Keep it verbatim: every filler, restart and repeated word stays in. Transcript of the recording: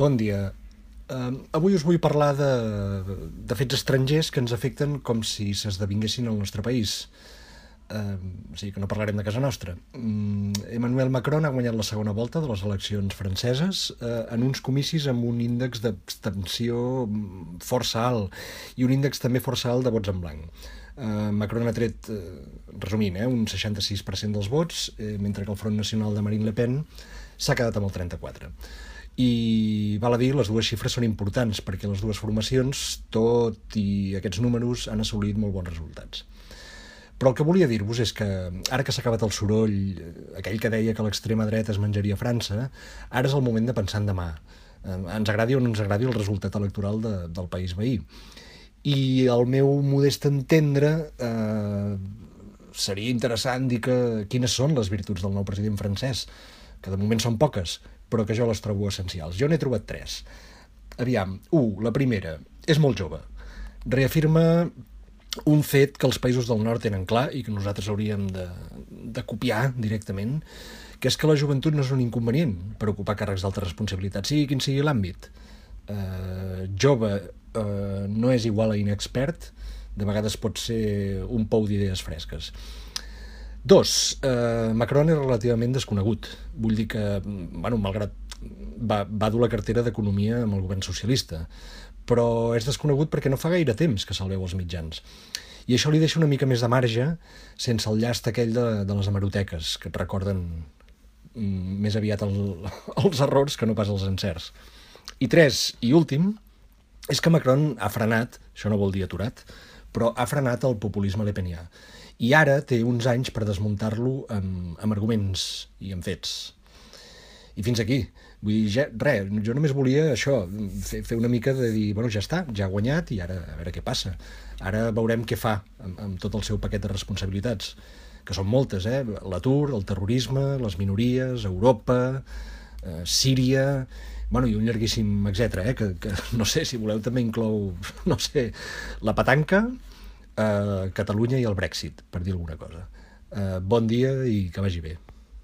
Bon dia. Uh, avui us vull parlar de, de fets estrangers que ens afecten com si s'esdevinguessin al nostre país. Uh, o sigui que no parlarem de casa nostra. Um, Emmanuel Macron ha guanyat la segona volta de les eleccions franceses uh, en uns comicis amb un índex d'abstenció força alt i un índex també força alt de vots en blanc. Uh, Macron ha tret, uh, resumint, eh, un seixanta-sis per cent dels vots, eh, mentre que el Front Nacional de Marine Le Pen s'ha quedat amb el trenta-quatre per cent. I val a dir, les dues xifres són importants perquè les dues formacions, tot i aquests números, han assolit molt bons resultats. Però el que volia dir-vos és que ara que s'ha acabat el soroll, aquell que deia que l'extrema dreta es menjaria França, ara és el moment de pensar en demà. Eh, ens agradi o no ens agradi el resultat electoral de, del país veí. I al meu modest entendre eh, seria interessant dir que quines són les virtuts del nou president francès, que de moment són poques, però que jo les trobo essencials. Jo n'he trobat tres. Aviam, u, la primera, és molt jove. Reafirma un fet que els països del nord tenen clar i que nosaltres hauríem de, de copiar directament, que és que la joventut no és un inconvenient per ocupar càrrecs d'alta responsabilitat, sigui quin sigui l'àmbit. Eh, jove eh, no és igual a inexpert, de vegades pot ser un pou d'idees fresques. Dos, eh, Macron és relativament desconegut. Vull dir que, bueno, malgrat va, va dur la cartera d'Economia amb el govern socialista, però és desconegut perquè no fa gaire temps que se'l veu als mitjans. I això li deixa una mica més de marge sense el llast aquell de, de les hemeroteques, que et recorden mm, més aviat el, els errors que no pas els encerts. I tres, i últim, és que Macron ha frenat, això no vol dir aturat, però ha frenat el populisme lepenià. I ara té uns anys per desmuntar-lo amb, amb arguments i amb fets. I fins aquí. Vull dir, ja, res, jo només volia això, fer, fer una mica de dir, bueno, ja està, ja ha guanyat i ara a veure què passa. Ara veurem què fa amb, amb tot el seu paquet de responsabilitats, que són moltes, eh? L'atur, el terrorisme, les minories, Europa, eh, Síria, bueno, i un llarguíssim etcètera, eh? que, que no sé, si voleu també inclou, no sé, la petanca, eh, Catalunya i el Brexit, per dir alguna cosa. Eh, bon dia i que vagi bé.